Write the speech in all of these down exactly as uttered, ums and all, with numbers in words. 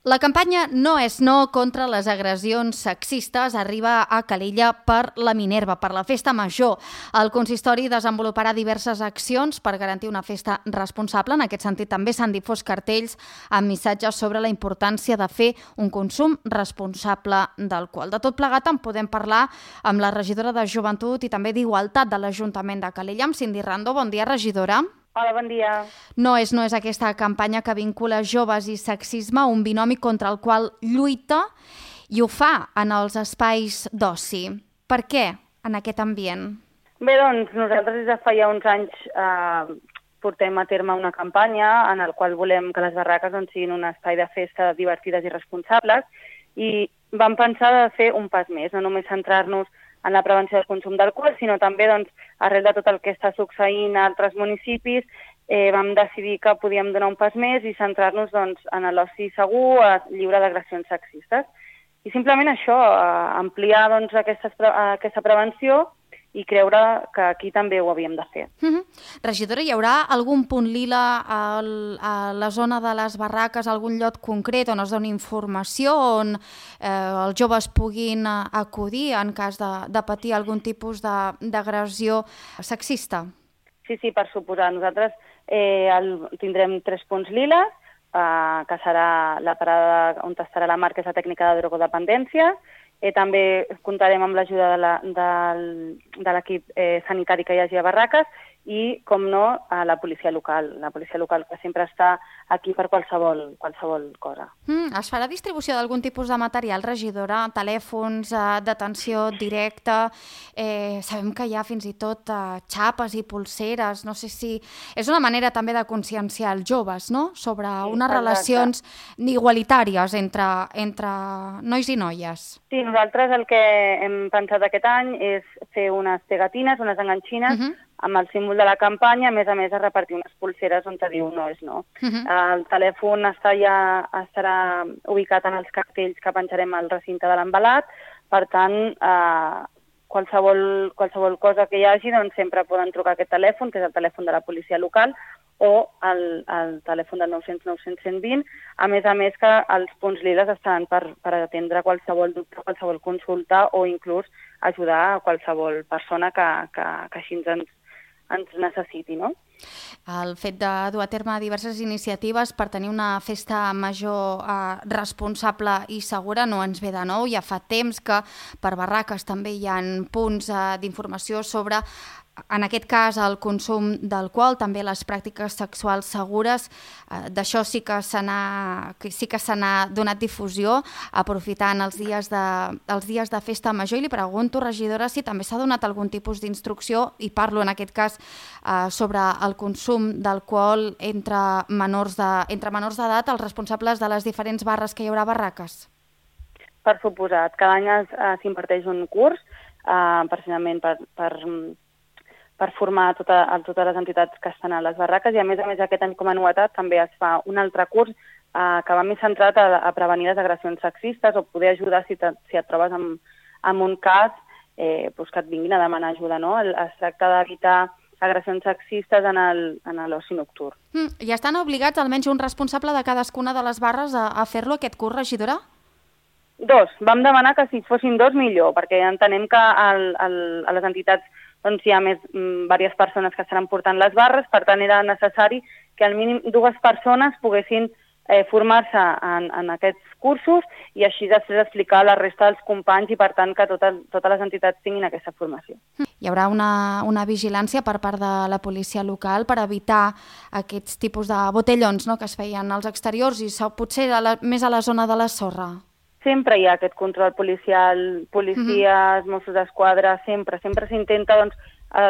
La campanya No és no contra les agressions sexistes arriba a Calella per la Minerva, per la Festa Major. El consistori desenvoluparà diverses accions per garantir una festa responsable. En aquest sentit, també s'han difós cartells amb missatges sobre la importància de fer un consum responsable d'alcohol. De tot plegat en podem parlar amb la regidora de Joventut i també d'Igualtat de l'Ajuntament de Calella, amb Cindy Rando. Bon dia, regidora. Hola, bon dia. No és no és aquesta campanya que vincula joves i sexisme, un binomi contra el qual lluita i ho fa en els espais d'oci. Per què en aquest ambient? Bé, doncs nosaltres des de fa ja uns anys eh, portem a terme una campanya en la qual volem que les barraques doncs, siguin un espai de festa divertides i responsables i vam pensar de fer un pas més, no només centrar-nos en la prevenció del consum d'alcohol, sinó també, doncs, arrel de tot el que està succeint a altres municipis, eh, vam decidir que podíem donar un pas més i centrar-nos doncs, en l'oci segur, lliure d'agressions sexistes. I simplement això, eh, ampliar doncs, aquesta, aquesta prevenció i creure que aquí també ho havíem de fer. Mm-hmm. Regidora, hi haurà algun punt lila a la zona de les barraques, algun lloc concret on es doni informació, on eh, els joves puguin acudir en cas de, de patir algun tipus d'agressió sexista? Sí, sí, per suposar. Nosaltres eh, el, tindrem tres punts lila, eh, que serà la parada on estarà la marca, és la tècnica de drogodependència. Eh, també comptarem amb l'ajuda de l'equip eh, sanitari que hi hagi a barraques i, com no, a la policia local, la policia local que sempre està aquí per qualsevol, qualsevol cosa. Mm, es farà distribució d'algun tipus de material, regidora? Telèfons, eh, d'atenció directa? Eh, sabem que hi ha fins i tot eh, xapes i pulseres. No sé si... És una manera també de conscienciar els joves, no?, sobre sí, unes exacte. relacions igualitàries entre, entre nois i noies. Sí, nosaltres el que hem pensat aquest any és fer unes pegatines, unes enganxines, uh-huh. amb el símbol de la campanya, a més a més a repartir unes pulseres on te diu no és no. Uh-huh. El telèfon està ja, estarà ubicat en els cartells que penjarem al recinte de l'embalat, per tant, eh, qualsevol, qualsevol cosa que hi hagi, doncs sempre poden trucar a aquest telèfon, que és el telèfon de la policia local, o el, el telèfon del nou cents nou cents cent vint, a més a més que els punts liles estan per, per atendre qualsevol dubte, qualsevol consulta o inclús ajudar a qualsevol persona que, que, que així ens, ens necessiti, no? El fet de dur a terme diverses iniciatives per tenir una festa major eh, responsable i segura no ens ve de nou. Ja fa temps que per barraques també hi ha punts eh, d'informació sobre, en aquest cas, el consum d'alcohol, també les pràctiques sexuals segures. Eh, D'això sí que se n'ha sí que se n'ha donat difusió, aprofitant els dies, de, els dies de festa major. I li pregunto, regidora, si també s'ha donat algun tipus d'instrucció, i parlo en aquest cas eh, sobre el consum d'alcohol entre menors de, entre menors d'edat, els responsables de les diferents barres que hi haurà barraques. Per suposat. Cada any s'imparteix un curs, eh, precisament per... per per formar tota, a totes les entitats que estan a les barraques i, a més a més, aquest any com a novetat també es fa un altre curs eh, que va més centrat a, a prevenir les agressions sexistes o poder ajudar si, te, si et trobes en, en un cas eh, doncs que et vinguin a demanar ajuda, no? Es tracta d'evitar agressions sexistes en l'oci nocturn. Mm, I estan obligats almenys un responsable de cadascuna de les barres a, a fer-lo, aquest curs, regidora? Dos. Vam demanar que si fossin dos millor, perquè entenem que el, el, a les entitats doncs hi ha més mm, diverses persones que estaran portant les barres, per tant era necessari que al mínim dues persones poguessin eh, formar-se en, en aquests cursos i així després explicar a la resta dels companys i per tant que totes, totes les entitats tinguin aquesta formació. Hi haurà una, una vigilància per part de la policia local per evitar aquests tipus de botellons, no?, que es feien als exteriors i potser a la, més a la zona de la sorra. Sempre hi ha aquest control policial, policies, uh-huh. Mossos d'Esquadra, sempre, sempre s'intenta doncs,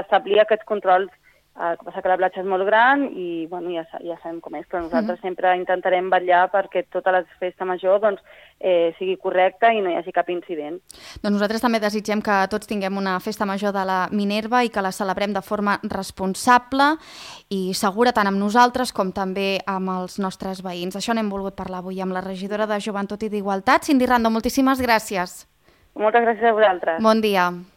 establir aquests controls. El que passa que la platja és molt gran i bueno, ja, ja sabem com és, però nosaltres uh-huh. sempre intentarem vetllar perquè tota la festa major doncs, eh, sigui correcta i no hi hagi cap incident. Doncs nosaltres també desitgem que tots tinguem una festa major de la Minerva i que la celebrem de forma responsable i segura tant amb nosaltres com també amb els nostres veïns. Això n'hem volgut parlar avui amb la regidora de Joventut i d'Igualtat, Cindy Rando. Moltíssimes gràcies. Moltes gràcies a vosaltres. Bon dia.